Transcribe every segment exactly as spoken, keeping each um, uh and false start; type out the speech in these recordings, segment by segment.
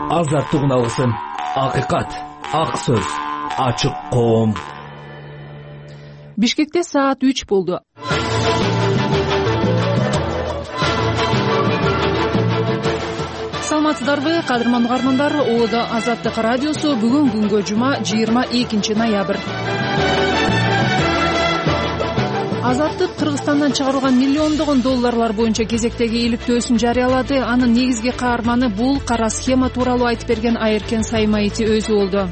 азаттык үналысын, акыйкат, ак сөз, ачык коом. Бишкекте саат үч болду. Саламатсыздарбы, кадырман угармандар? Оодо Азаттык радиосу бүгүн күнгө жума жыйырма экинчи ноябрь. Азаттык Кыргызстандан чыгарылган миллиондогон долларлар боюнча кезектеги иликтөөсүн жарыялады. Анын негизги каарманы бул кара схема тууралуу айтып берген Айыркен Саймайти өзү болду.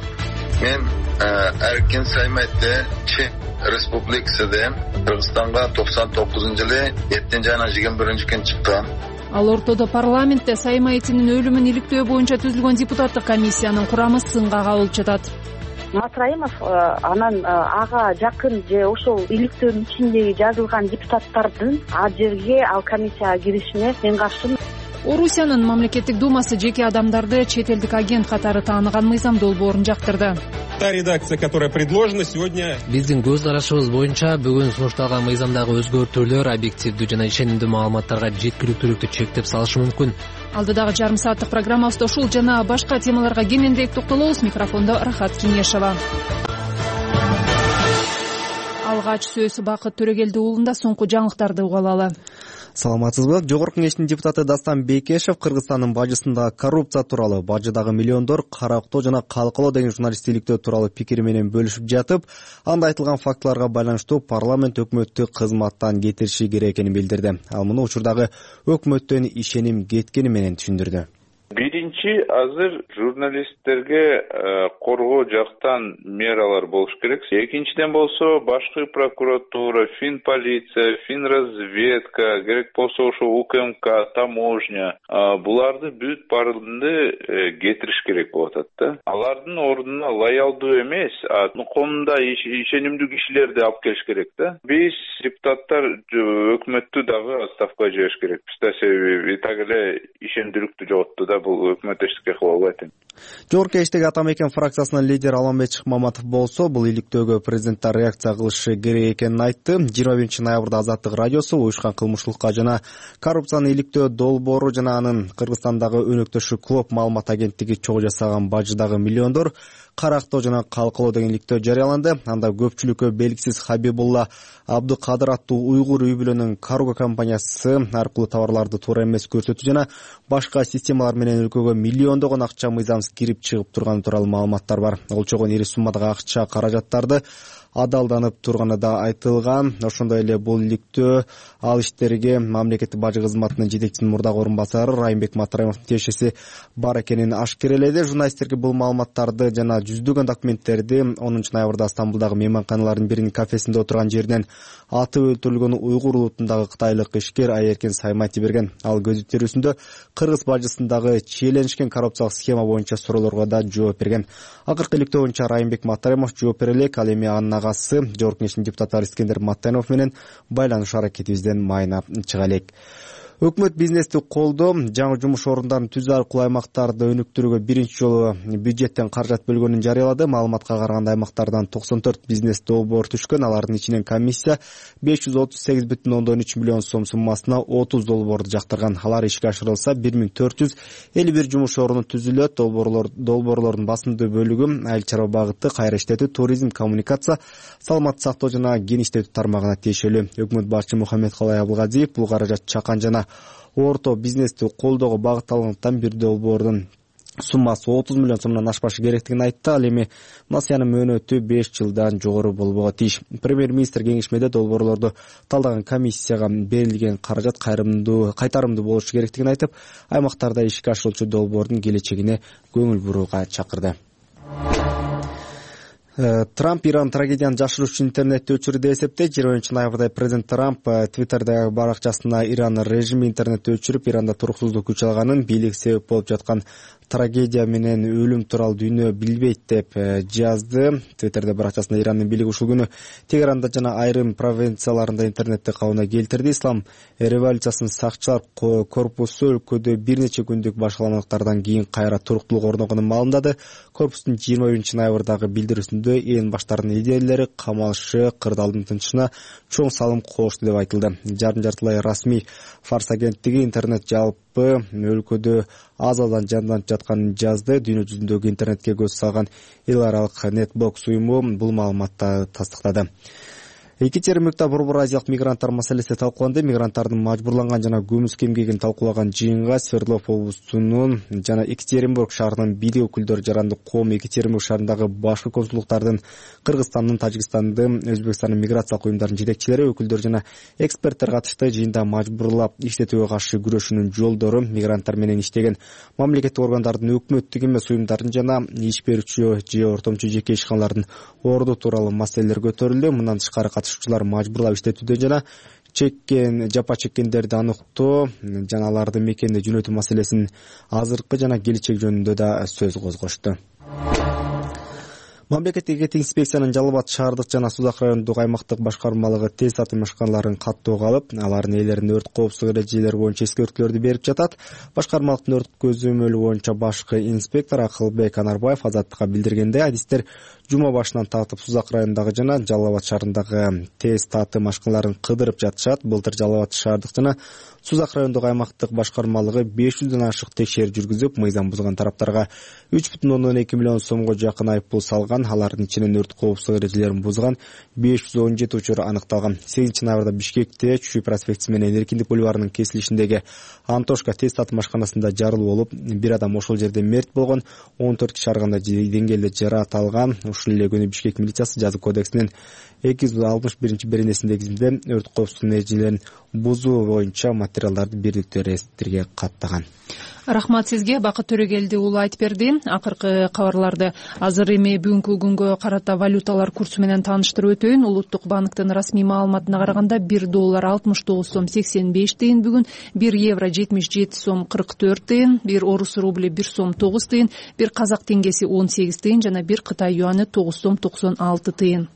Мен Айыркен Саймайти Чех Республикасында Кыргызстанга токсон тогузунчу жылы жетинчи айынын жыйырма биринчи күнү чыккан. Ал ортодо парламентте Саймайтинин өлүмүн иликтөө боюнча түзүлгөн депутаттык комиссиянын курамы сынга кабылып жатат. Матраимов анан ага жакын же ошол иликтөөнүн ичиндеги жазылган депутаттардын ал жерге ал комиссияга киришине мен каршымын. Орусиянын мамлекеттик думасы жеке адамдарды чет элдик агент катары тааныган мыйзам долбоорун жактырды. Та редакция, которая предложена сегодня. Биздин көз карашыбыз боюнча бүгүн сунушталган мыйзамдагы өзгөртүүлөр объективдүү жана ишенимдүү маалыматтарга жеткиликтүүлүктү чектеп салышы мүмкүн. Алдыдагы жарым сааттык программабызда ушул жана башка темаларга кененирээк токтолобуз. Микрофондо Рахат Кеңешова. Алгач сөз Бакыт Төрөгелди уулунда соңку жаңылыктарды уга алалы. Саламатсызбы? Жогорку Кеңештин депутаты Дастан Бекешев Кыргызстандын бажысындагы коррупция тууралуу, бажыдагы миллиондор карактоо жана калкалоо деген журналисттиктөө тууралуу пикири менен бөлүшүп жатып, анда айтылган фактыларга байланыштуу парламент өкмөттү кызматтан кетириши керек экенин билдирди. Ал муну учурдагы өкмөттөн ишеним кеткени менен түшүндүрдү. Биринчи, азыр журналисттерге коргоо жактан мералар болуш керек. Экинчиден болсо башкы прокуратура, фин полиция, фин разведка, керек болсо ошо УКМК, таможня, буларды бүт баардыгын кетириш керек болуп атат да. Алардын ордуна лоялдуу эмес, конунда ишенимдүү кишилерди алып келиш керек да. Биз депутаттар өкмөттү дагы отставкага жибериш керекпиз да, себеби так эле ишенимдүүлүктү жоготту да. Бул өкмөт эчтеке кыла албайт эми. Жогорку Кеңештеги Атамекен фракциясынын лидери Алмамбет Шыкмаматов болсо, бул иликтөөгө президенттер реакция кылышы керек экенин айтты. жыйырма биринчи ноябрда Азаттык радиосу уюшкан кылмыштылыкка жана коррупцияны иликтөө долбоору жана анын Кыргызстандагы өнөктөшү Клоп маалымат агенттиги чогуу жасаган бажыдагы миллиондор карактоо жана калкалоо деген иликтөө жарыяланды. Анда көпчүлүккө белгисиз Хабибулла Абдыкадыр аттуу уйгур үй бүлөнүн карго компаниясы аркылуу товарларды туура эмес көрсөтүү жана башка системалар менен өлкөгө миллиондогон акча мыйзамсыз кирип чыгып турганы тууралуу маалыматтар бар. Олчогон ири суммадагы акча каражаттарды адалданып турганы да айтылган. Ошондой эле бул иликтөө ал иштерге мамлекеттик бажы кызматынын жетекчисинин мурдагы орун басары Райымбек Матраимовдун тиешеси бар экенин ашкереледи. Журналисттерге бул маалыматтарды жана жүздөгөн документтерди онунчу ноябрда Стамбулдагы мейманканалардын биринин кафесинде отурган жеринен атып өлтүрүлгөн уйгур улутундагы кытайлык ишкер Айыркен Саймайти берген. Ал көз тирүүсүндө кыргыз бажысындагы чиеленишкен коррупциялык схема боюнча суроолорго да жооп берген. Акыркы иликтөө боюнча Райымбек Матраимов жооп бере элек. Ал эми анын агасы Жогорку Кеңештин депутаты Искендер Маттанов менен байланыш аракетибизден майына чыга элек. Өкмөт бизнести колдоо, жаңы жумуш орундарын түзүү аркылуу аймактарды өнүктүрүүгө биринчи жолу бюджеттен каражат бөлгөнүн жарыялады. Маалыматка караганда аймактардан токсон төрт бизнес долбоор түшкөн. Алардын ичинен комиссия беш жүз отуз сегиз бүтүн ондон үч миллион сом суммасына отуз долбоорду жактырган. Алар ишке ашырылса бир миң төрт жүз элүү бир жумуш оруну түзүлөт. Долбоорлор долбоорлордун басымдуу бөлүгү айыл чарба багыты, кайра иштетүү, туризм, коммуникация, саламаттык сактоо жана кеңиштетүү тармагына тиешелүү. Өкмөт башчы Мухаммедкалай Абылгазиев бул каражат чакан жана орто бизнести колдоого багытталгандыктан бир долбоордун суммасы отуз миллион сомдон ашпашы керектигин айтты. Ал эми насыянын мөөнөтү беш жылдан жогору болбого тийиш. Премьер-министр кеңешмеде долбоорлорду талдаган комиссияга берилген каражат кайрымдуу кайтарымдуу болушу керектигин айтып, аймактарда ишке ашырылчу долбоордун келечегине көңүл бурууга чакырды. Трамп Иран трагедияны жашыруу үчүн интернетти өчүрдү деп эсептейт. жыйырма биринчи ноябрда президент Трамп Твиттердеги баракчасына Иран режими интернетти өчүрүп, Иранда туруксуздук күч алганын, бийлик себеп болуп жаткан трагедия менен өлүм тууралуу дүйнө билбейт деп жазды. Твиттерде баракчасында Ирандын бийлиги ушул күнү Тегеранда жана айрым провинцияларында интернетти кабына келтирди. Ислам революциясынын сакчылар корпусу өлкөдө бир нече күндүк башаламалыктардан кийин кайра туруктуулук орногонун маалымдады. Корпустун жыйырма биринчи ноябрдагы билдирүүсүндө эн баштардын лидерлери камалышы кырдаалдын тынчына чоң салым кошты деп айтылды. Жарым жартылай расмий Фарс агенттиги интернет жалпы жалпы өлкөдө аз аздан жанданып жатканын жазды. Дүйнө жүзүндөгү интернетке көз салган эл аралык Netbox уюму бул маалыматты тастыктады. Екатеринбургда борбор азиялык мигранттар маселеси талкууланды. Мигранттардын мажбурланган жана көмүс кемгегин талкуулаган жыйынга Свердлов облусунун жана Екатеринбург шаарынын бийлик өкүлдөрү, жарандык коом, Екатеринбург шаарындагы башкы консулдуктардын, Кыргызстандын, Тажикстандын, Өзбекстандын миграциялык уюмдарынын жетекчилери, өкүлдөр жана эксперттер катышты. Жыйында мажбурлап иштетүүгө каршы күрөшүүнүн жолдору, мигранттар менен иштеген мамлекеттик органдардын, өкмөттүк эмес уюмдардын жана иш берүүчү же ортомчу жеке ишканалардын орду тууралуу маселелер көтөрүлдү. Мындан тышкары катышуучулар мажбурлап иштетүүдөн жана чеккен жапа чеккендерди аныктоо жана аларды мекенде жөнөтүү маселесинин азыркы жана келечек жөнүндө да сөз козгошту. Мамлекеттик эгеттик инспекциянын Жалал Абад шаардык жана Сузак райондук аймактык башкармалыгы тест атым машканаларын каттоого алып, алардын ээлерине өрт коопсуздук эрежелери боюнча эскертүүлөрдү берип жатат. Башкармалыктын өрт көзөмөлү боюнча башкы инспектор Акылбек Анарбаев Азаттыкка билдиргендей, адистер жума башынан тартып Сузак районундагы жана Жалал Абад шаарындагы тест атым машканаларын кыдырып жатышат. Былтыр Жалал Абад шаардык жана Сузак райондук аймактык башкармалыгы беш жүздөн ашык текшерүү жүргүзүп, мыйзам бузган тараптарга үч бүтүн ондон эки миллион сомго жакын айыппул салган. Алардын ичинен өрт коопсуздук эрежелерин бузган беш жүз он жети учур аныкталган. сегизинчи ноябрда Бишкекте Чүй проспектиси менен Эркиндик бульварынын кесилишиндеги Антошка тест атым машканасында жарылуу болуп, бир адам ошол жерде мерт болгон, он төрт киши ар кандай деңгээлде жаракат алган. Ушул эле күнү Бишкек милициясы жаза кодексинин эки жүз алтымыш биринчи беренесиндеги өрт коопсуздук эрежелерин бузуу боюнча материалдарды бирдиктүү реестрге каттаган. Рахмат сизге, Бакыт Төрөгелди уулу айтып берди. Акыркы кабарларды азыр эми бүгүнкү күнгө карата валюталар курсу менен тааныштырып өтөйүн. Улуттук банктын расмий маалыматына караганда бир доллар алтымыш тогуз сом сексен беш тыйын бүгүн, бир евро жетимиш жети сом кырк төрт тыйын, бир орус рубли бир сом тогуз тыйын, бир казак теңгеси он сегиз тыйын жана бир Кытай юаны тогуз сом токсон алты тыйын.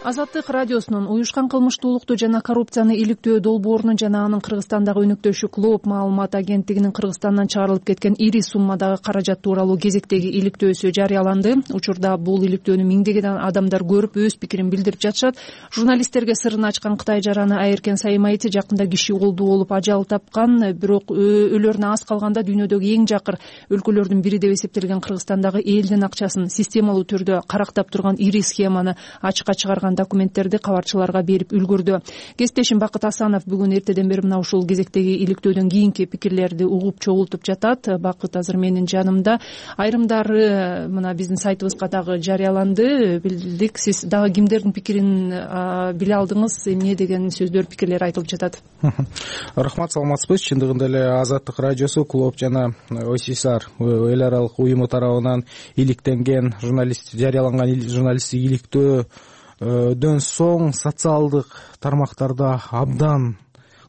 Азаттык радиосунун уюшкан кылмыштуулукту жана коррупцияны иликтөө долбоорунун жана анын Кыргызстандагы өнөктөшү Клоп маалымат агенттигинин Кыргызстандан чыгарылып кеткен ири суммадагы каражат тууралуу кезектеги иликтөөсү жарыяланды. Учурда бул иликтөөнү миңдеген адамдар көрүп, өз пикирин билдирип жатышат. Журналисттерге сырын ачкан Кытай жараны Айыркен Саймайти жакында киши колдуу болуп ажал тапкан, бирок өлөрүнө аз калганда дүйнөдөгү эң жакыр өлкөлөрдүн бири деп эсептелген Кыргызстандагы элдин акчасын системалуу түрдө карактап турган ири схеманы ачыкка чыгарган документтерди кабарчыларга берип үлгүрдү. Кесиптешим Бакыт Асанов бүгүн эртеден бери мына ушул кезектеги иликтөөдөн кийинки пикирлерди угуп чогултуп жатат. Бакыт азыр менин жанымда. Айрымдары мына биздин сайтыбызга дагы жарыяланды. Билдик, сиз дагы кимдердин пикирин биле алдыңыз, эмне деген сөздөр, пикирлер айтылып жатат? Рахмат, саламатсызбы? Чындыгында эле Азаттык радиосу Клоп жана ОСИСАР эл аралык уюму тарабынан иликтенген журналист жарыяланган журналисттик иликтөө дөн соң социалдык тармактарда абдан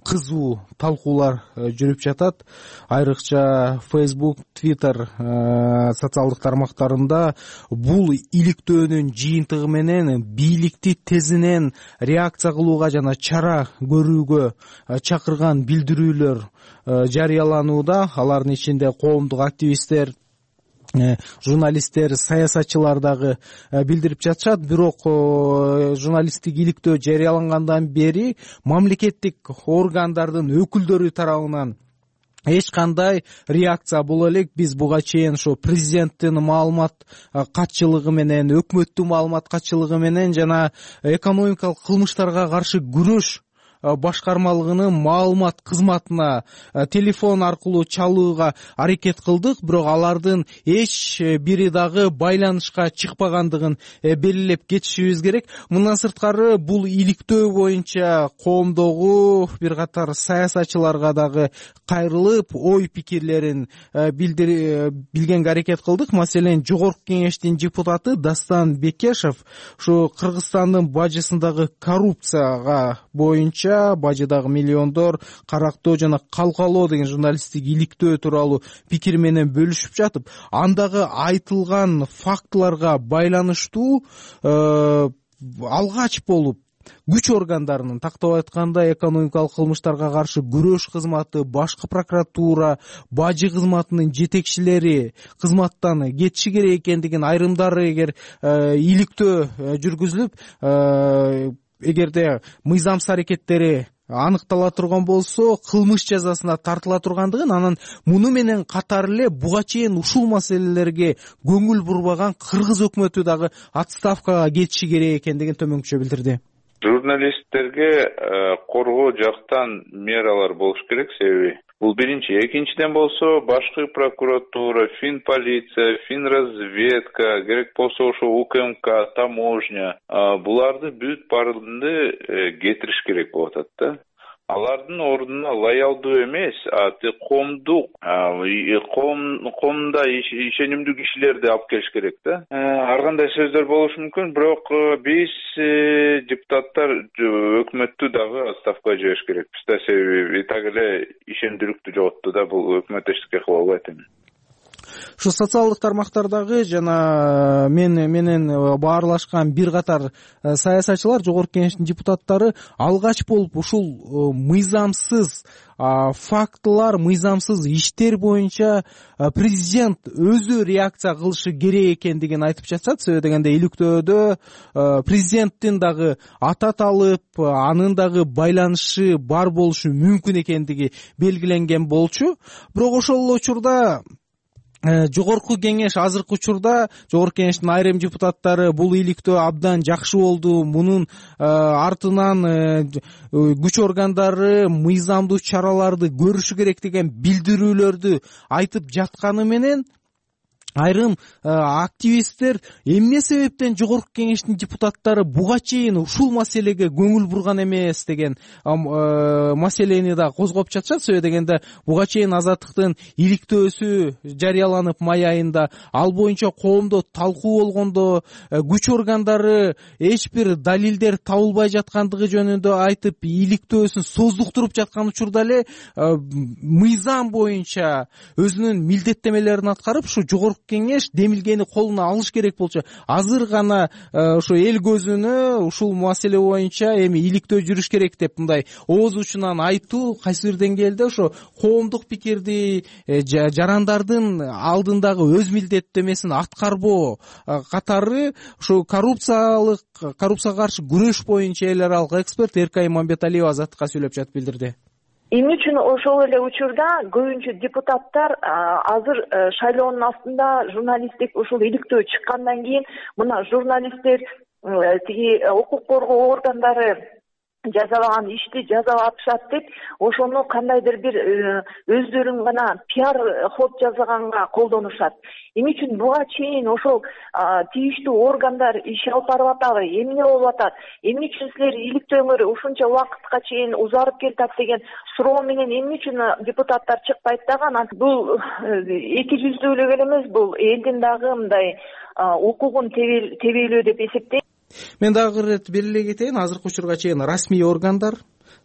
кызуу талкуулар жүрүп жатат. Айрыкча Facebook, Twitter социалдык тармактарында бул иликтөөнүн жыйынтыгы менен бийликти тезинен реакция кылууга жана чара көрүүгө чакырган билдирүүлөр жарыяланууда. Алардын ичинде коомдук активисттер, журналисттер, саясатчылар дагы билдирип жатышат. Бирок журналисттик иликтөө жарыялангандан бери мамлекеттик органдардын өкүлдөрү тарабынан эч кандай реакция боло элек. Биз буга чейин ошо президенттин маалымат катчылыгы менен, өкмөттүн маалымат катчылыгы менен жана экономикалык кылмыштарга каршы күрөш башкармалыгынын маалымат кызматына телефон аркылуу чалууга аракет кылдык, бирок алардын эч бири дагы байланышка чыкпагандыгын белгилеп кетишибиз керек. Мындан сырткары бул иликтөө боюнча коомдогу бир катар саясатчыларга дагы кайрылып, ой пикирлерин билгенге аракет кылдык. Маселен, Жогорку кеңештин депутаты Дастан Бекешев ушу Кыргызстандын бажысындагы коррупцияга боюнча бажыдагы миллиондор карактоо жана калкалоо деген журналисттик иликтөө тууралуу пикир менен бөлүшүп жатып, андагы айтылган фактыларга байланыштуу алгач болуп күч органдарынын, тактап айтканда экономикалык кылмыштарга каршы күрөш кызматы, башкы прокуратура, бажы кызматынын жетекчилери кызматтан кетиши керек экендигин, айрымдары эгер иликтөө жүргүзүлүп, эгерде мыйзамсыз аракеттери аныктала турган болсо кылмыш жазасына тартыла тургандыгын, анан муну менен катар эле буга чейин ушул маселелерге көңүл бурбаган кыргыз өкмөтү дагы отставкага кетиши керек экендигин төмөнкүчө билдирди. Журналисттерге коргоо жактан мералар болуш керек, себеби бул биринчи. Экинчиден болсо башкы прокуратура, фин полиция, фин разведка, керек болсо ошо УКМК, таможня, буларды бүт баардыгын кетириш керек болуп атат да. Алардын ордуна лоялдуу эмес, коомдук, коомдо ишенимдүү кишилерди алып келиш керек да. Ар кандай сөздөр болушу мүмкүн, бирок биз депутаттар өкмөттү дагы отставкага жибериш керекпиз да, себеби так эле ишендүүлүктү жоготту да, бул өкмөт эчтеке кыла албайт эми. Ушу социалдык тармактардагы жана мен менен баарлашкан бир катар саясатчылар, жогорку кеңештин депутаттары алгач болуп ушул мыйзамсыз фактылар, мыйзамсыз иштер боюнча президент өзү реакция кылышы керек экендигин айтып жатышат. Себеби дегенде иликтөөдө президенттин дагы ата талып, анын дагы байланышы бар болушу мүмкүн экендиги белгиленген болчу. Бирок ошол эле учурда жогорку кеңеш азыркы учурда жогорку кеңештин айрым депутаттары бул иликтөө абдан жакшы болду, мунун артынан күч органдары мыйзамдуу чараларды көрүшү керек деген билдирүүлөрдү айтып жатканы менен айрым активисттер эмне себептен жогорку кеңештин депутаттары буга чейин ушул маселеге көңүл бурган эмес деген маселени да козгоп жатышат. Себеби дегенде буга чейин Азаттыктын иликтөөсү жарыяланып май айында, ал боюнча коомдо талкуу болгондо күч органдары эч бир далилдер табылбай жаткандыгы жөнүндө айтып иликтөөсүн создуктуруп жаткан учурда эле мыйзам боюнча өзүнүн милдеттемелерин аткарып ушу жогорку кеңеш демилгени колуна алыш керек болчу. Азыр гана ошо эл көзүнө ушул маселе боюнча эми иликтөө жүрүш керек деп мындай ооз учунан айтуу кайсы бир деңгээлде ошо коомдук пикирди, жарандардын алдындагы өз милдеттемесин аткарбоо катары ошо коррупциялык, коррупцияга каршы күрөш боюнча эл аралык эксперт Эркай Мамбеталиева Азаттыкка сүйлөп жатып билдирди. Эмне үчүн ошол эле учурда көбүнчө депутаттар азыр шайлоонун астында журналисттик ушул иликтөө чыккандан кийин мына журналисттер тиги укук коргоо органдары жазалаган ишти жазалап атышат деп ошону кандайдыр бир өздөрүн гана пиар ход жасаганга колдонушат. Эмне үчүн буга чейин ошол тийиштүү органдар иш алып барып атабы, эмне болуп атат, эмне үчүн силер иликтөөңөр ушунча убакытка чейин узарып келатат деген суроо менен эмне үчүн депутаттар чыкпайт дагы. Анан бул эки жүздүүлүк эле эмес, бул элдин дагы мындай укугун тебелөө деп эсептейм. Мен дагы бир ирет белгилей кетейин, азыркы учурга чейин расмий органдар,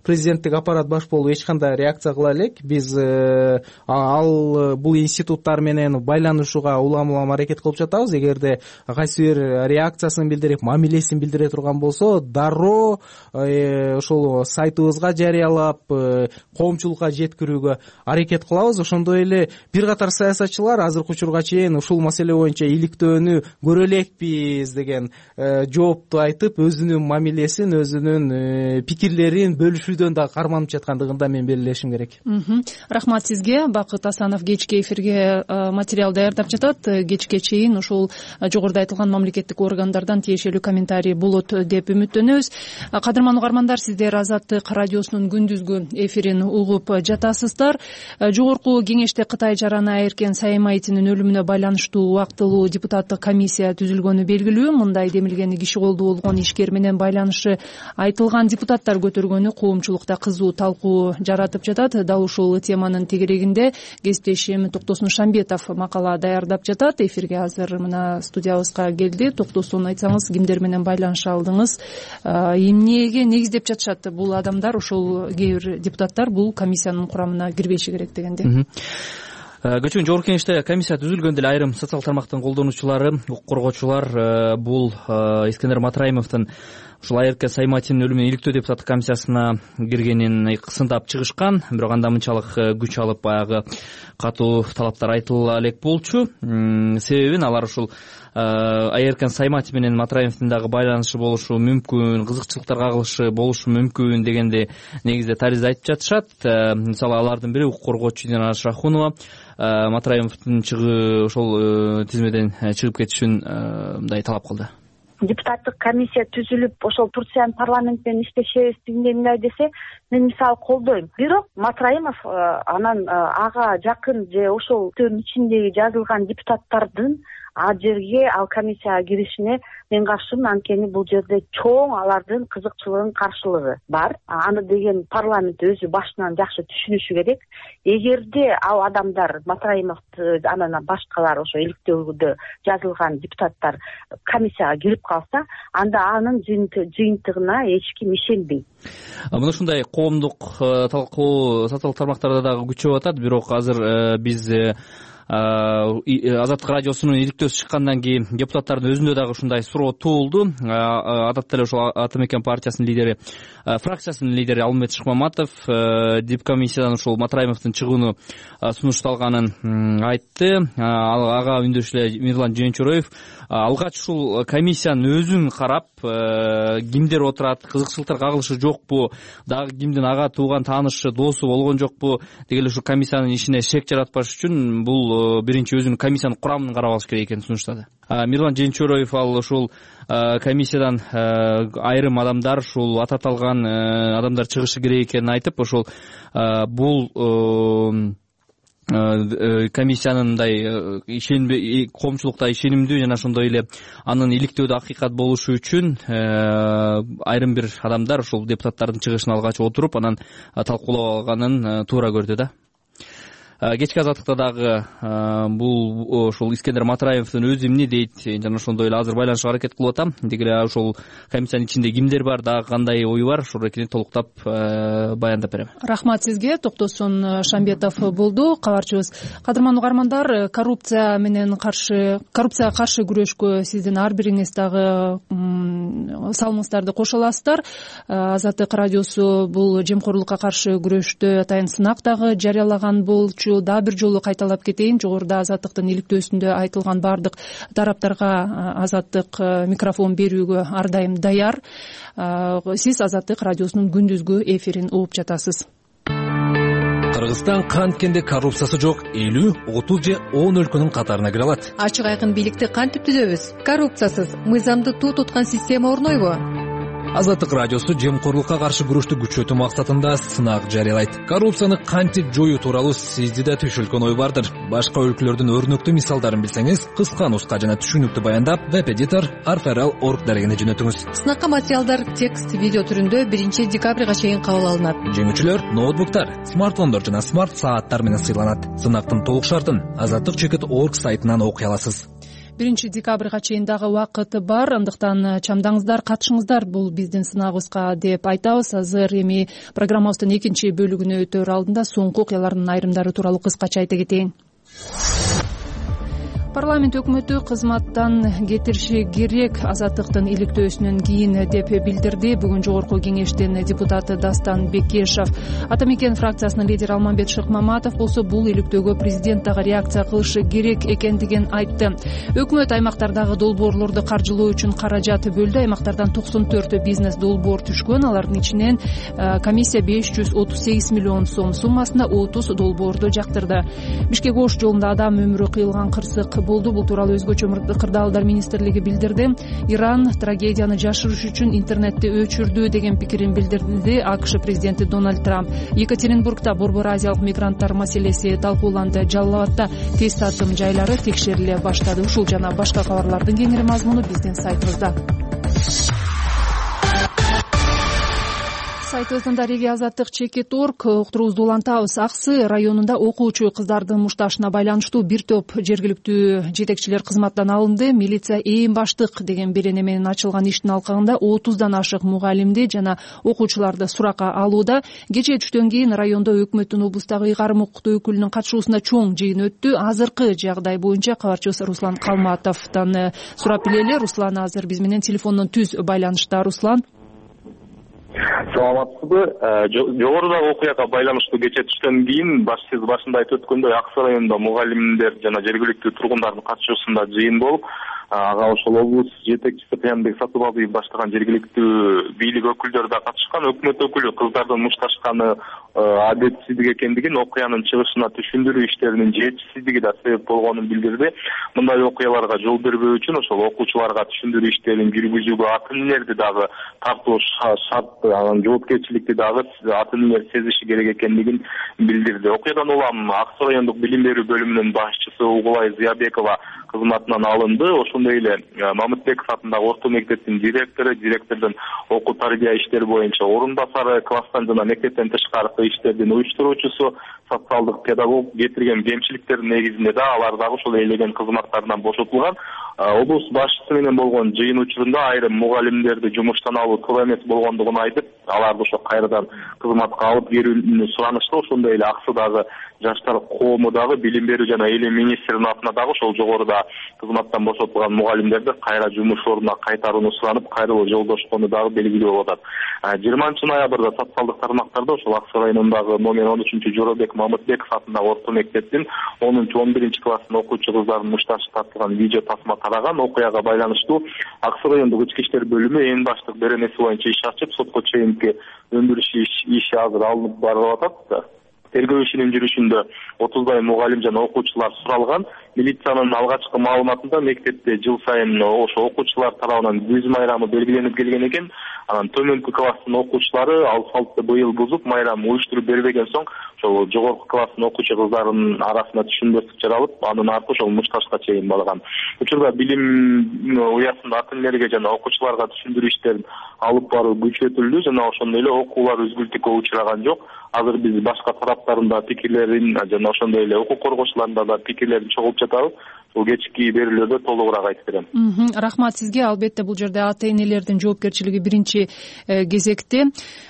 президенттик аппарат баш болуп эч кандай реакция кыла элек. Биз ал бул институттар менен байланышууга улам улам аракет кылып жатабыз. Эгерде кайсы бир реакциясын билдирип, мамилесин билдире турган болсо, дароо ошол сайтыбызга жарыялап, коомчулукка жеткирүүгө аракет кылабыз. Ошондой эле бир катар саясатчылар азыркы учурга чейин ушул маселе боюнча иликтөөнү көрө элекпиз деген жоопту айтып, өзүнүн мамилесин, өзүнүн пикирлерин бөлүшүүдөн да карманып жаткандыгын да мен белгилешим керек. Рахмат сизге. Бакыт Асанов кечки эфирге материал даярдап жатат. Кечке чейин ушул жогоруда айтылган мамлекеттик органдардан тиешелүү комментарий болот деп үмүттөнөбүз. Кадырман угармандар, сиздер Азаттык радиосунун күндүзгү эфирин угуп жатасыздар. Жогорку кеңеште Кытай жараны Эркен Саимайтинин өлүмүнө байланыштуу убактылуу депутаттык комиссия түзүлгөнү белгилүү. Мындай демилгени киши колдуу болгон ишкер менен байланышы айтылган депутаттар көтөргөнү коомчулукта кызуу талкуу жаратып жатат. Дал ушул теманын тегерегинде кесиптешим Токтосун Шамбетов макала даярдап жатат. Эфирге азыр мына студиябызга келди. Токтосун, айтсаңыз, кимдер менен байланыша алдыңыз, эмнеге негиздеп жатышат бул адамдар, ошол кээ бир депутаттар бул комиссиянын курамына кирбеши керек дегенде? Көчкөн жогорку кеңеште комиссия түзүлгөндө эле айрым социалдык тармактын колдонуучулары, укук коргоочулар бул Искендер Матраимовдун ушул Айыркен Сайматинин өлүмүнөн иликтөө депутаттык комиссиясына киргенин сындап чыгышкан, бирок анда мынчалык күч алып баягы катуу талаптар айтыла элек болчу. Себебин алар ушул Айыркен Сайматин менен Матраимовдун дагы байланышы болушу мүмкүн, кызыкчылыктар кагылышы болушу мүмкүн дегенди негизде таризде айтып жатышат. Мисалы алардын бири укук коргоочу Динара Шахунова Матраимовдун чыгы ошол тизмеден чыгып кетишин мындай талап кылды. Депутаттык комиссия түзүлүп ошол Турциянын парламент менен иштешебиз дегендей десе, мен мисалы колдойм. Бирок Матраимов анан ага жакын же ошол төн ичиндеги жазылган депутаттардын ал жерге ал комиссияга киришине мен каршымын. Анткени бул жерде чоң алардын кызыкчылыгынын каршылыгы бар. Аны деген парламент өзү башынан жакшы түшүнүшү керек. Эгерде ал адамдар Матраимовду анан башкалар ошо иликтөөгө жазылган депутаттар комиссияга кирип калса, анда анын жыйынтыгына эч ким ишенбейт. Мына ушундай коомдук талкуу социалдык тармактарда дагы күчөп атат. Бирок азыр биз Азаттык радиосунун иликтөөсү чыккандан кийин депутаттардын өзүндө дагы ушундай суроо туулду. Адатта эле ошол Ата Мекен партиясынын лидери, фракциясынын лидери Алмамбет Шыкмаматов дипкомиссиядан ушул Матраимовдун чыгууну сунушталганын айтты. Ага үндөшүп эле Мирлан Жээнчуроев алгач ушул комиссиянын өзүн карап, кимдер отурат, кызыкчылыктар кагылышы жокпу, дагы кимдин ага тууган таанышы, досу болгон жокпу деген ушул комиссиянын ишине шек жаратпаш үчүн бул биринчи өзүнүн комиссиянын курамын карап алыш керек экенин сунуштады. Мирлан Жээнчуроев ал ушул комиссиядан айрым адамдар, ушул ататалган адамдар чыгышы керек экенин айтып, ошол бул комиссиянын мындай ишенбе коомчулукта ишенимдүү жана ошондой эле анын иликтөөдө акыйкат болушу үчүн айрым бир адамдар ушул депутаттардын чыгышына алгач отуруп анан талкуулап алганын туура көрдү да. Кечки азаттыкта дагы бул ошол Искендер Матраимовдун өзү эмне дейт жана ошондой эле азыр байланышка аракет кылып атам. Деги эле ошол комиссиянын ичинде кимдер бар, дагы кандай ою бар, ошол экенин толуктап баяндап берем. Рахмат сизге. Токтосун Шамбетов болду кабарчыбыз. Кадырман угармандар, коррупция менен каршы коррупцияга каршы күрөшкө сиздин ар бириңиз дагы салымыңыздарды кошо аласыздар. Азаттык радиосу бул жемкорлукка каршы күрөштө атайын сынак дагы жарыялаган болчу. Дагы бир жолу кайталап кетейин, жогоруда Азаттыктын иликтөөсүндө айтылган бардык тараптарга Азаттык микрофон берүүгө ар дайым даяр. Сиз Азаттык радиосунун күндүзгү эфирин угуп жатасыз. Кыргызстан канткенде коррупциясы жок элүү, отуз же он өлкөнүн катарына кире алат. Ачык айкын бийликти кантип түзөбүз? Коррупциясыз мыйзамды туу туткан система орнойбу? Азаттык радиосу жемкорлукка каршы күрөштү күчөтүү максатында сынак жарыялайт. Коррупцияны кантип жоюу тууралуу сизди да түшүлгөн ой бардыр. Башка өлкөлөрдүн өрнөктүү мисалдарын билсеңиз, кыска нуска жана түшүнүктүү баяндап веб-эдитор арферал точка орг дарегине жөнөтүңүз. Сынакка материалдар текст, видео түрүндө биринчи декабрга чейин кабыл алынат. Жеңүүчүлөр ноутбуктар, смартфондор жана смарт сааттар менен сыйланат. Сынактын толук шартын азаттык чекит точка орг сайтынан окуй аласыз. биринчи декабрга чейин дагы убакыт бар, андыктан чамдаңыздар, катышыңыздар бул биздин сынагыбызга деп айтабыз. Азыр эми программабыздын экинчи бөлүгүнө өтөр алдында соңку окуялардын айрымдары тууралуу кыскача айта кетейин. Парламент өкмөтү кызматтан кетириши керек Азаттыктын иликтөөсүнөн кийин деп билдирди. Бүгүн жогорку кеңештин депутаты Дастан Бекешев. Ата Мекен фракциясынын лидери Алмамбет Шыкмаматов болсо бул иликтөөгө президент дагы реакция кылышы керек экендигин айтты. Өкмөт аймактардагы долбоорлорду каржылоо үчүн каражат бөлдү. Аймактардан токсон төрт бизнес долбоор түшкөн. Алардын ичинен комиссия беш жүз отуз сегиз миллион сом суммасына отуз долбоорду жактырды. Бишкек Ош жолунда адам өмүрү кыйылган кырсык болду. Бул тууралуу өзгөчө кырдаалдар министрлиги билдирди. Иран трагедияны жашырыш үчүн интернетти өчүрдү деген пикирин билдирди АКШ президенти Дональд Трамп. Екатеринбургда борбор азиялык мигранттар маселеси талкууланды. Жалал Абадта тест татым жайлары текшериле баштады. Ушул жана башка кабарлардын кеңири мазмуну биздин сайтыбызда. Сайтыбыздын дареги азаттык чекит точка орг уктуруубузду улантабыз. Аксы районунда окуучу кыздардын мушташына байланыштуу бир топ жергиликтүү жетекчилер кызматтан алынды. Милиция ээн баштык деген берене менен ачылган иштин алкагында отуздан ашык мугалимди жана окуучуларды суракка алууда. Кечээ түштөн кийин райондо өкмөттүн облустагы ыйгарым укуктуу өкүлүнүн катышуусунда чоң жыйын өттү. Азыркы жагдай боюнча кабарчыбыз Руслан Калматовдон сурап билели. Руслан азыр биз менен телефондон түз байланышта. Руслан. саламатсызбы? Жогорудагы окуяга байланыштуу кечээ түштөн кийин баш сиз башында айтып өткөндөй Ак Суу районунда мугалимдер жана жергиликтүү тургундардын катышуусунда жыйын болуп, ага ошол облус жетекчиси Кыямбек Сатыбалдиев баштаган жергиликтүү бийлик өкүлдөрү да катышкан. Өкмөт өкүлү кыздардын мушташканы адетсиздик экендигин, окуянын чыгышына түшүндүрүү иштеринин жетишсиздиги да себеп болгонун билдирди. Мындай окуяларга жол бербөө үчүн ошол окуучуларга түшүндүрүү иштерин жүргүзүүгө ата энелерди дагы тартуу шарт, анан жоопкерчиликти дагы ата энелер сезиши керек экендигин билдирди. Окуядан улам Ак Суу райондук билим берүү бөлүмүнүн башчысы Угулай Зыябекова кызматынан алынды. Ошондой эле Мамытбеков атындагы орто мектептин директору, директордун окуу тарбия иштери боюнча орун басары, класстан жана мектептен тышкаркы иштердин уюштуруучусу, социалдык педагог кетирген кемчиликтердин негизинде да алар дагы ошол ээлеген кызматтарынан бошотулган. Облус башчысы менен болгон жыйын учурунда айрым мугалимдерди жумуштан алуу туура эмес болгондугун айтып, аларды ошо кайрадан кызматка алып келүүнү суранышты. Ошондой эле Ак Суудагы жаштар коому дагы билим берүү жана элем министринин атына дагы ошол жогоруда кызматтан бошотулган мугалимдерди кайра жумуш ордуна кайтарууну суранып, кайрылуу жолдошкону дагы белгилүү болуп атат. жыйырманчы ноябрда социалдык тармактарда ошол Ак Суу районундагы номер он үчүнчү Жоробек Мамытбеков атындагы орто мектептин онунчу он биринчи класстын окуучу кыздардын мушташы тартылган видео тасма тараган. Окуяга байланыштуу Ак Суу райондук ички иштер бөлүмү эң баштык беренеси боюнча иш ачып, сотко чейинки өндүрүш иши азыр алынып барылып атат. Тергөө ишинин жүрүшүндө отуздай мугалим жана окуучулар суралган. Милициянын алгачкы маалыматында мектепте жыл сайын ошо окуучулар тарабынан күз майрамы белгиленип келген экен. Анан төмөнкү класстын окуучулары ал салтты быйыл бузуп, майрам уюштуруп бербеген соң, ошол жогорку класстын окуучу кыздарынын арасында түшүнбөстүк жаралып, анын арты ошол мушташка чейин барган. Учурда билим уясында ата энелерге жана окуучуларга түшүндүрүү иштерин алып баруу күчөтүлдү жана ошондой эле окуулар үзгүлтүккө учураган жок. Азыр биз башка тараптарында пикирлерин жана ошондой эле укук коргоочуларында да пикирлерин чогултуп жатабыз. Бул кечки берүүлөрдө толугураак айтып берем. Рахмат сизге. Албетте бул жерде ата энелердин жоопкерчилиги биринчи кезекте.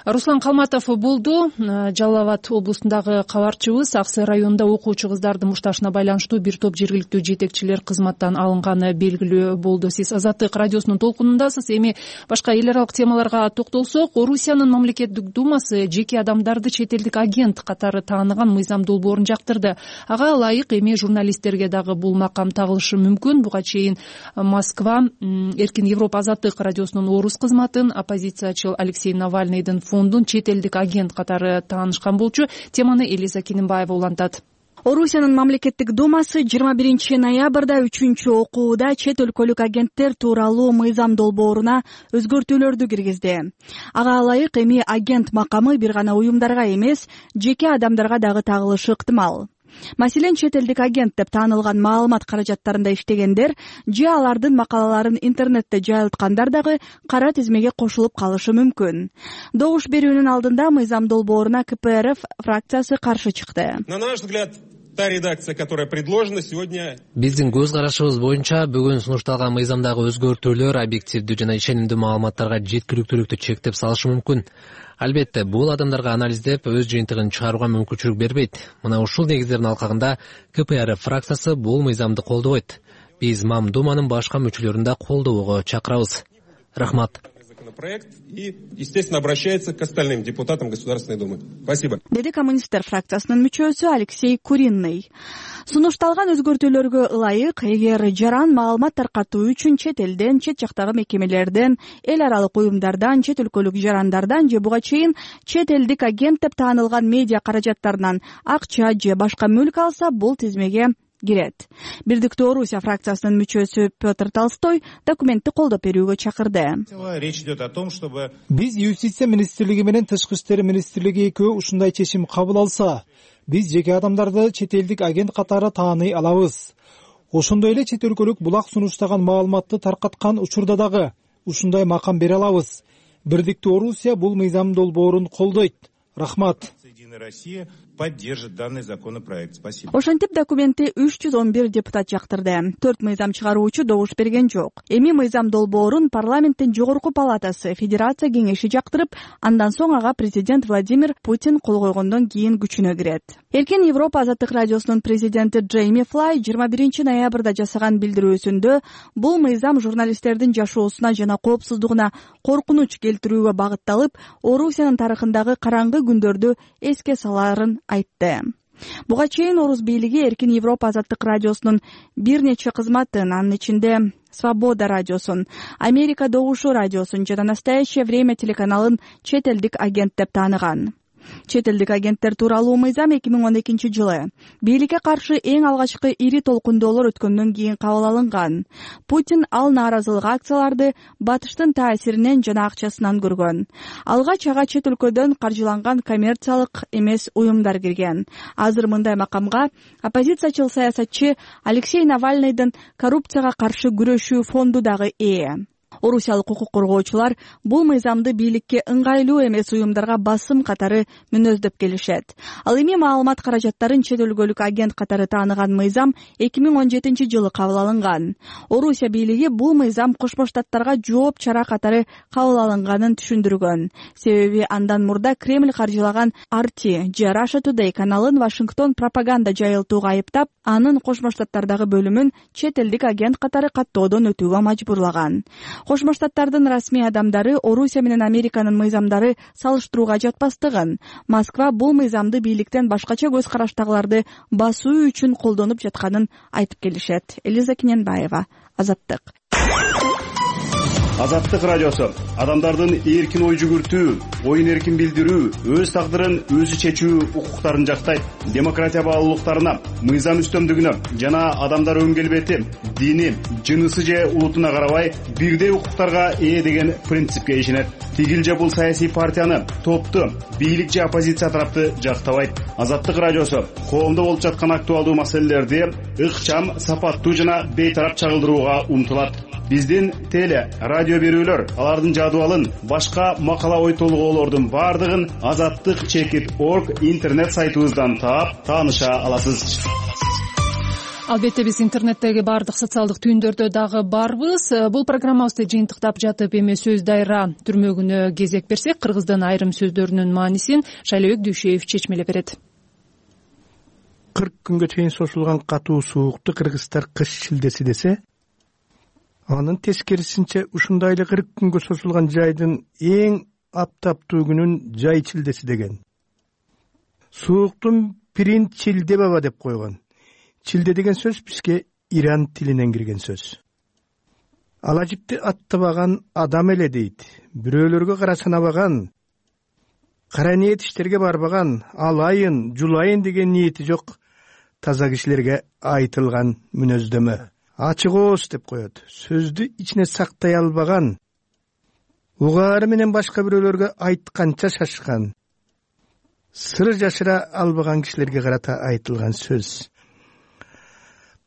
Руслан Калматов болду, Жалал Абад облусундагы кабарчыбыз. Ак Суу районунда окуучу кыздардын мушташына байланыштуу бир топ жергиликтүү жетекчилер кызматтан алынганы белгилүү болду. Сиз Азаттык радиосунун толкунундасыз. Эми башка эл аралык темаларга токтолсок, Орусиянын мамлекеттик думасы жеке адамдарды чет элдик агент катары тааныган мыйзам долбоорун жактырды. Ага ылайык эми журналисттерге дагы бул макам тагылышы мүмкүн. Буга чейин Москва Эркин Европа Азаттык радиосунун орус кызматын, оппозициячыл Алексей Навальныйдын фондун чет элдик агент катары таанышкан болчу. Теманы Элиза Кинимбаева улантат. Орусиянын мамлекеттик думасы жыйырма биринчи ноябрда үчүнчү окууда чет өлкөлүк агенттер тууралуу мыйзам долбооруна өзгөртүүлөрдү киргизди. Ага ылайык эми агент макамы бир гана уюмдарга эмес, жеке адамдарга дагы тагылышы ыктымал. Маселен, чет элдик агент деп таанылган маалымат каражаттарында иштегендер же алардын макалаларын интернетте жайылткандар дагы кара тизмеге кошулуп калышы мүмкүн. Добуш берүүнүн алдында мыйзам долбооруна ка пэ эр эф фракциясы каршы чыкты. На наш взгляд, та редакция, которая предложена сегодня. Биздин көз карашыбыз боюнча бүгүн сунушталган мыйзамдагы өзгөртүүлөр объективдүү жана ишенимдүү маалыматтарга жеткиликтүүлүктү чектеп салышы мүмкүн. Албетте, бул адамдарга анализдеп өз жыйынтыгын чыгарууга мүмкүнчүлүк бербейт. Мына ушул негиздердин алкагында ка пэ эр эф фракциясы бул мыйзамды колдобойт. Биз Мамдуманын башка мүчөлөрүн да колдоого чакырабыз. Рахмат. Проект и, естественно, обращается к остальным депутатам Государственной Думы. Спасибо. Деди коммунисттер фракциясынын мүчөсү Алексей Куринный. Сунушталган өзгөртүүлөргө ылайык, эгер жаран маалымат таркатуу үчүн чет элден, чет жактагы мекемелерден, эл аралык уюмдардан, чет өлкөлүк жарандардан же буга чейин чет элдик агент деп таанылган медиа каражаттарынан акча же башка мүлк алса, бул тизмеге кирет. Бирдиктүү Орусия фракциясынын мүчөсү Петр Толстой документти колдоп берүүгө чакырды. Речь идет о том, чтобы биз Юстиция министрлиги менен Тышкы иштер министрлиги экөө ушундай чечим кабыл алса, биз жеке адамдарды чет элдик агент катары тааный алабыз. Ошондой эле чет өлкөлүк булак сунуштаган маалыматты таркаткан учурда дагы ушундай макам бере алабыз. Бирдиктүү Орусия бул мыйзам долбоорун колдойт. Рахмат. поддержит данный законопроект. Спасибо. Ошентип документти үч жүз он бир депутат жактырды. Төрт мыйзам чыгаруучу добуш берген жок. Эми мыйзам долбоорун парламенттин жогорку палатасы Федерация кеңеши жактырып, андан соң ага президент Владимир Путин кол койгондон кийин күчүнө кирет. Эркин Европа азаттык радиосунун президенти Джейми Флай жыйырма биринчи ноябрда жасаган билдирүүсүндө бул мыйзам журналисттердин жашоосуна жана коопсуздугуна коркунуч келтирүүгө багытталып, Орусиянын тарыхындагы караңгы күндөрдү эске саларын айтты. Буга чейин Орус бийлиги Эркин Европа азаттык радиосунун бир нече кызматын, анын ичинде Свобода радиосун, Америка Добушу радиосун жана Настоящее время телеканалын чет элдик агент деп тааныган. Чет элдик агенттер тууралуу мыйзам эки миң он экинчи жылы бийликке каршы эң алгачкы ири толкундоолор өткөндөн кийин кабыл алынган. Путин ал нааразылык акцияларды батыштын таасиринен жана акчасынан көргөн. Алгач ага чет өлкөдөн каржыланган коммерциялык эмес уюмдар кирген. Азыр мындай макамга оппозициячыл саясатчы Алексей Навальныйдын коррупцияга каршы күрөшүү фонду дагы ээ. Орусиялык укук коргоочулар бул мыйзамды бийликке ыңгайлуу эмес уюмдарга басым катары мүнөздөп келишет. Ал эми маалымат каражаттарын чет өлкөлүк агент катары тааныган мыйзам эки миң он жетинчи жылы кабыл алынган. Орусия бийлиги бул мыйзам Кошмо Штаттарга жооп чара катары кабыл алынганын түшүндүргөн. Себеби андан мурда Кремль каржылаган ар ти же Russia Today каналын Вашингтон пропаганда жайылтууга айыптап, анын Кошмо Штаттардагы бөлүмүн чет элдик агент катары каттоодон өтүүгө мажбурлаган. Кошмо Штаттардын расмий адамдары Орусия менен Американын мыйзамдары салыштырууга жатпастыгын, Москва бул мыйзамды бийликтен башкача көз караштагыларды басуу үчүн колдонуп жатканын айтып келишет. Элиза Кененбаева, Азаттык. Азаттык радиосу адамдардын эркин ой жүгүртүү, оюн эркин билдирүү, өз тагдырын өзү чечүү укуктарын жактайт. Демократия баалуулуктарына, мыйзам үстөмдүгүнө жана адамдар өн келбети, дини, жынысы же улутуна карабай бирдей укуктарга ээ деген принципке ишенет. Тигил же бул саясий партияны, топту, бийлик же оппозиция тарапты жактабайт. Азаттык радиосу коомдо болуп жаткан актуалдуу маселелерди ыкчам, сапаттуу жана бейтарап чагылдырууга умтулат. Биздин теле, радио берүүлөр, алардын жадыбалын, башка макала ой толгоолордун бардыгын азаттык чекит точка орг интернет сайтыбыздан таап, тааныша аласыз. Албетте биз интернеттеги баардык социалдык түйүндөрдө дагы барбыз. Бул программабызды жыйынтыктап жатып эми сөз дайра түрмөгүнө кезек берсек, кыргыздын айрым сөздөрүнүн маанисин Шайлебек Дүйшөев чечмелеп берет. кырк күнгө чейин созулган катуу суукту кыргыздар кыш шилдеси десе, анын тескерисинче ушундай эле кырк күнгө созулган жайдын эң аптаптуу күнүн жай чилдеси деген. Сууктун пирин чилде баба деп койгон. Чилде деген сөз бизге Иран тилинен кирген сөз. Ала жипти аттабаган адам эле дейт. Бирөөлөргө кара санабаган, кара ниет иштерге барбаган, алайын, жулайын деген ниети жок таза кишилерге айтылган мүнөздөмө. Ачык ооз деп коет. Сөздү ичине сактай албаган, угаары менен башка бирөөлөргө айтканча шашкан, сыр жашыра албаган кишилерге карата айтылган сөз.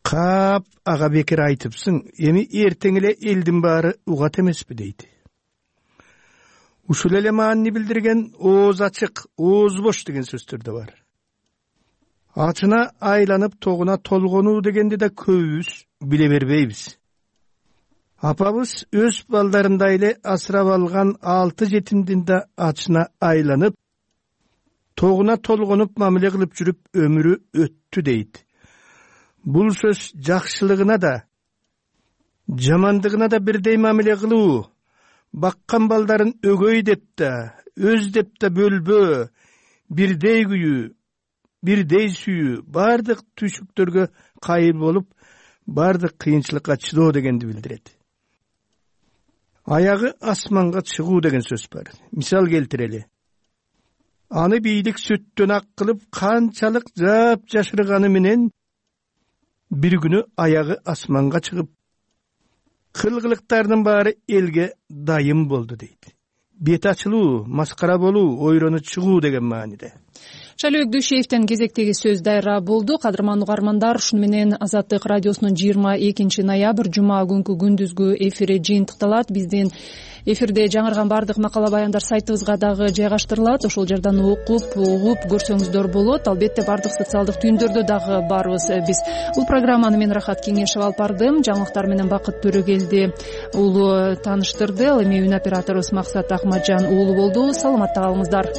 Кап ага бекер айтыпсың, эми эртең эле элдин баары угат эмеспи дейт. Ушул эле маани билдирген ооз ачык, ооз бош деген сөздөр да бар. Ачына айланып тогуна толгонуу дегенди да көбүбүз биле бербейбиз. Апабыз өз балдарындай эле асырап алган алты жетимдин да ачына айланып, тогуна толгонуп мамиле кылып жүрүп өмүрү өттү дейт. Бул сөз жакшылыгына да, жамандыгына да бирдей мамиле кылуу, баккан балдарын өгөй деп да, өз деп да бөлбөө, бирдей күйүү, бирдей сүйүү, бардык түйшүктөргө кайыл болуп, бардык кыйынчылыкка чыдоо дегенди билдирет. Аягы асманга чыгуу деген сөз бар. Мисал келтирели. Аны бийлик сүттөн ак кылып, канчалык жап жашырганы менен бир күнү аягы асманга чыгып, кылгылыктардын баары элге дайым болду дейт. Бет ачылуу, маскара болуу, ойрону чыгуу деген мааниде. Шайлоо Дүйшеевден кезектеги сөз дайра болду. Кадырман угармандар, ушуну менен Азаттык радиосунун жыйырма экинчи ноябрь жума күнкү күндүзгү эфири жыйынтыкталат. Биздин эфирде жаңырган баардык макала баяндар сайтыбызга дагы жайгаштырылат. Ошол жерден окуп, угуп көрсөңүздөр болот. Албетте баардык социалдык түйүндөрдө дагы барбыз биз. Бул программаны мен Рахат Кеңешев алып бардым. Жаңылыктар менен Бакыт Төрөгелди уулу тааныштырды. Ал эми үн операторубуз Максат Акматжан уулу болду. Саламатта калыңыздар.